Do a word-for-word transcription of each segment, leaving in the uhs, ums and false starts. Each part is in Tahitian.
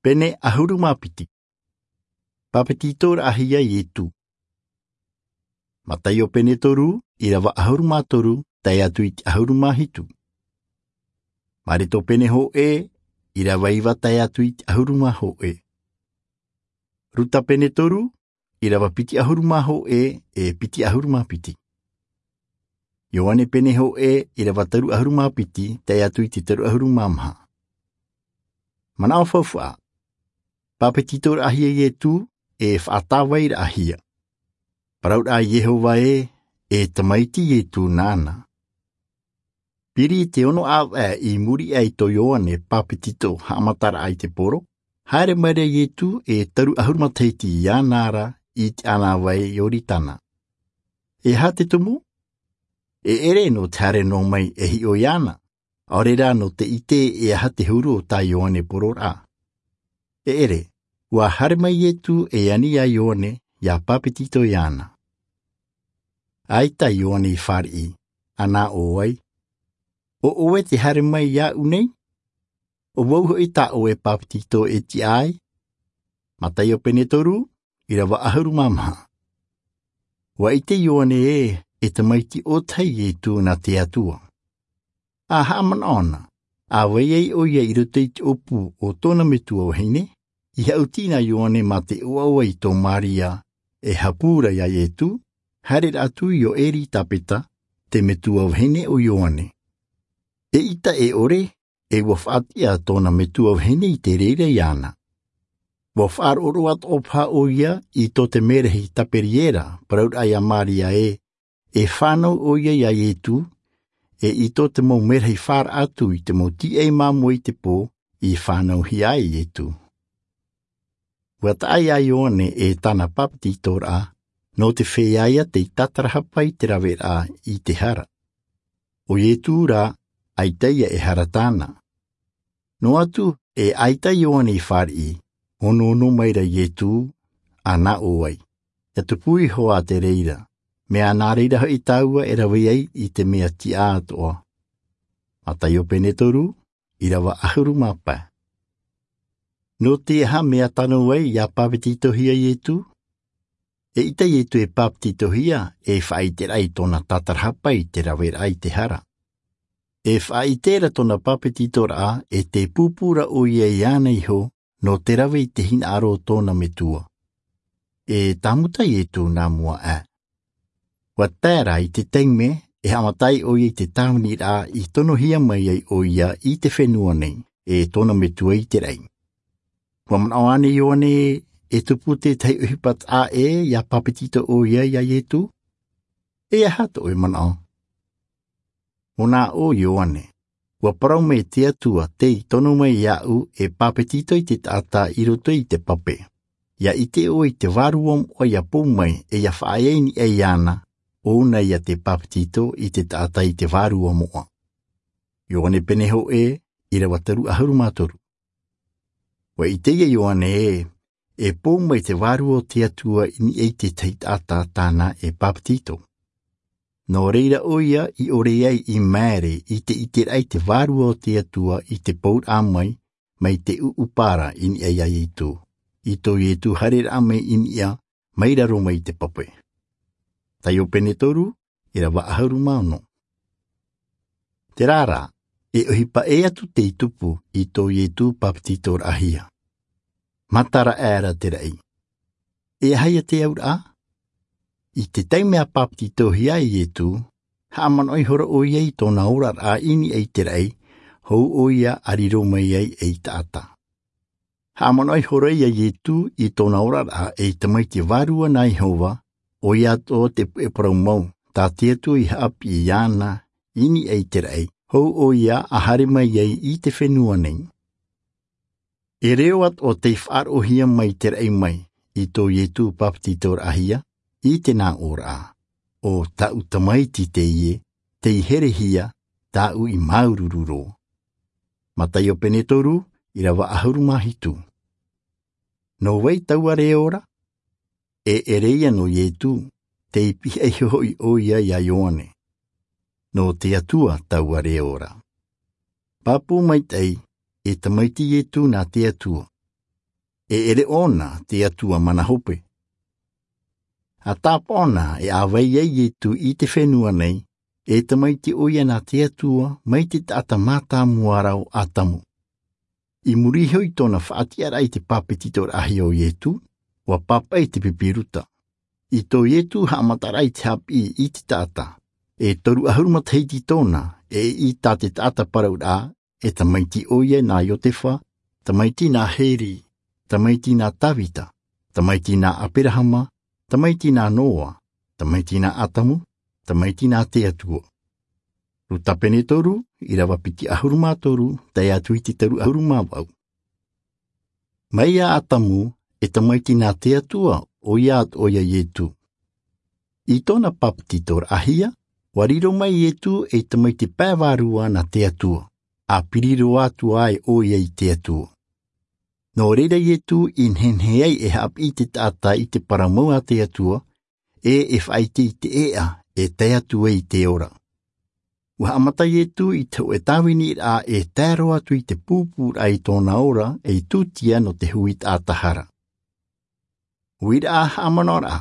Pene ʻahuru mā piti. Pāpetitoraʻahia Ietu. Mataio pene toru, ʻirava ʻahuru mā toru, tae atu i te ʻahuru mā hitu. Mareto pene hōʻē, ʻirava iva tae atu i te ʻahuru mā hōʻē. Ruta pene toru, ʻirava piti ʻahuru mā hōʻē, e piti ʻahuru mā piti. Ioane pene hōʻē, ʻirava toru ʻahuru mā piti, tae atu i te toru ʻahuru mā maha. Manaʻo faufaʻa. Pāpetitoraʻahia Ietu, e faʻatāvairaʻahia. Parauraʻa Iehova ē, e tamaiti Ietu nāna. Piri i te ono ʻāvaʻe i muri aʻe i tō Ioane Pāpetito haʻamataraʻa i te poro, haere mai ra Ietu e toru ʻahuru matahiti iāna ra i te ʻānāvai Ioritana. E aha te tumu? E ʻere nō te haere noa mai e hiʻo iāna, ʻaore rā nō te ʻite e aha te huru o tā Ioane pororaʻa. E ʻere, ʻua haere mai Ietu e ani iā Ioane, ʻia pāpetito iāna. ʻAita Ioane i fāriʻi, ʻa nā ʻō ai, ʻo ʻoe te haere mai iāʻu nei? ʻO vau hoʻi tā ʻoe pāpetito e tiʻa ai? Mataio pene toru, ʻirava ʻahuru mā maha. ʻUa ʻite Ioane ē, e tamaiti ʻōtahi Ietu nā te Atua. ʻA haʻamanaʻo na, ʻa vai ai ʻoia i roto i te ʻōpū o tōna metua vahine, i haʻuti na Ioane mā te ʻoaʻoa i tō Māria, e hapū ra iā Ietu, haere ra atu iō Eritapeta, te metua vahine o Ioane. Eʻita e ʻore, e ʻua faʻatiʻa tōna metua vahine i te reira iāna. ʻUa faʻaroʻo atoʻa paha ʻoia i tō te mērahi Taperiera, parauraʻa iā Māria ē, e fānau ʻoia iā Ietu, e i tō te mau mērahi fāraʻa atu i te mau tīaʻi māmoe i te pō, i fānauhia ai Ietu. ʻUa taʻa iā Ioane e tāna pāpetitoraʻa, nō te feiā ia tei tātarahapa i te raveraʻa i te hara. ʻO Ietu rā, ʻaita ia e hara tāna. Noa atu, e ʻaita Ioane i fāriʻi, onoono mai ra Ietu, ʻa nā ʻō ai, ʻia tupu iho ā te reira, mea nā reira hoʻi tāua e rave ai i te mea tiʻa atoʻa. Mataio pene toru, ʻirava ʻahuru mā pae. Nō te aha mea tano ai ʻia pāpetitohia Ietu? Eʻita Ietu e pāpetitohia, e faʻaʻiteraʻa i tōna tātarahapa i te raveraʻa i te hara. E faʻaʻite ra tōna pāpetitoraʻa, e tē pūpū ra ʻoia iāna iho, nō te rave i te hinaʻaro o tōna metua. E tāmuta Ietu nā mua aʻe. ʻUa tae ra i te taime, e haʻamata ai ʻoia i te tāviniraʻa i tonohia mai ai ʻoia i te fenua nei, e tōna metua Iseraʻela. ʻUa manaʻo ānei Ioane, e tupu tētahi ʻohipa taʻa ʻē ʻia pāpetito ʻoia iā Ietu? E aha tō ʻoe manaʻo? Mō nā ʻō Ioane, ʻua parau mai te Atua tei tono mai iāʻu e pāpetito i te taʻata i roto i te pape. ʻIa ʻite ʻoe i te Vārua Moʻa ʻia pou mai e ʻia faʻaea i niʻa iāna, ʻōna ia te pāpetito i te taʻata i te Vārua Moʻa. Ioane pene hōʻē, ʻirava toru ʻahuru mā toru. ʻUa ʻite ia Ioane ē, e pou mai te Vārua o te Atua i niʻa i te tahi taʻata tāna e pāpetito. Nō reira ʻoia i ʻore ai i maere i te ʻiteraʻa i te Vārua o te Atua i te pouraʻa mai, mai te ʻuʻupa ra i niʻa iā Ietu. I tō Ietu haereraʻa mai i niʻa, mai raro mai i te pape. Mataio pene toru, ʻirava ʻahuru mā ono. Terā rā, e ʻohipa ʻē atu tei tupu i tō Ietu pāpetitoraʻahia. Matara aʻera te raʻi. E aha ia te auraʻa? I te taime a pāpetitohia ai Ietu, haʻamanaʻo ihora ʻoia i tōna oraraʻa i niʻa i te raʻi, hou ʻoia a riro mai ai ei taʻata. Haʻamanaʻo ihora ia Ietu i tōna oraraʻa ei tamaiti vārua nā Iehova, ʻoia atoʻa te puʻe parau mau, tā te Atua i haʻapiʻi iāna i niʻa i te raʻi, hou ʻoia a haere mai ai i te fenua nei. E reo atoʻa tei faʻaroʻohia mai te raʻi mai i tō Ietu pāpetitoraʻahia, i te nāʻōraʻa, ʻo tāʻu tamaiti teie, tei herehia, tāʻu i māuruuru roa. Mataio pene toru, ʻirava ʻahuru mā hitu. Nō vai taua reo ra? E ʻere ia nō Ietu, tei pihaʻi iho hoʻi ʻoia iā Ioane. Nō te Atua taua reo ra. Pāpū maitaʻi, e tamaiti Ietu nā te Atua. E ʻere ʻōna te Atua mana hope. A tāpaʻo na e ʻāvai ai Ietu i te fenua nei, e tamaiti ʻoia nā te Atua mai te taʻata mātāmua ra ʻo Atamu. I muri iho i tōna faʻatiʻaraʻa i te pāpetitoraʻahia o Ietu, ʻua pāpaʻi te pipiruta. I tō Ietu haʻamataraʻa i te haʻapiʻi i te taʻata, e toru ʻahuru matahiti tōna, e i tā te taʻata parauraʻa, e tamaiti ʻoia nā Iotefa, tamaiti nā Heri, tamaiti nā Tavita, tamaiti nā Aperahama, tamaiti nā Noa, tamaiti nā Atamu, tamaiti nā te Atua. Ruta pene toru, ʻīrava piti ʻahuru mā toru, tae atu i te toru ʻahuru mā vaʻu. Mai iā Atamu, e tamaiti nā te Atua, ʻoia atoʻa ʻoia Ietu. I tōna pāpetitoraʻahia, ʻua riro mai Ietu ei tamaiti pae vārua nā te Atua, a piri roa atu ai ʻoia i te Atua. Nō reira Ietu i nehenehe ai e haʻapiʻi te taʻata i te parau mau a te Atua, e e faʻaʻite i te ʻēʻa, e tae atu ai i te ora. ʻUa haʻamata Ietu i te hōʻē tāviniraʻa e tae roa atu i te pūpūraʻa i tōna ora, ei tūtia nō te hui taʻata hara. Uiraʻa haʻamanaʻoraʻa.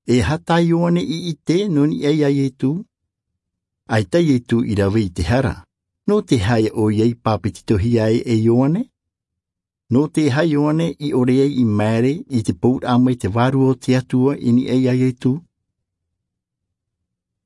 E aha tā Ioane i ʻite nō niʻa iā Ietu? ʻAita Ietu i rave i te hara, nō te aha ʻoia i pāpetitohia ai e Ioane? Nō te aha Ioane i ʻore ai i maere i te pouraʻa mai te Vārua o te Atua i niʻa iā Ietu?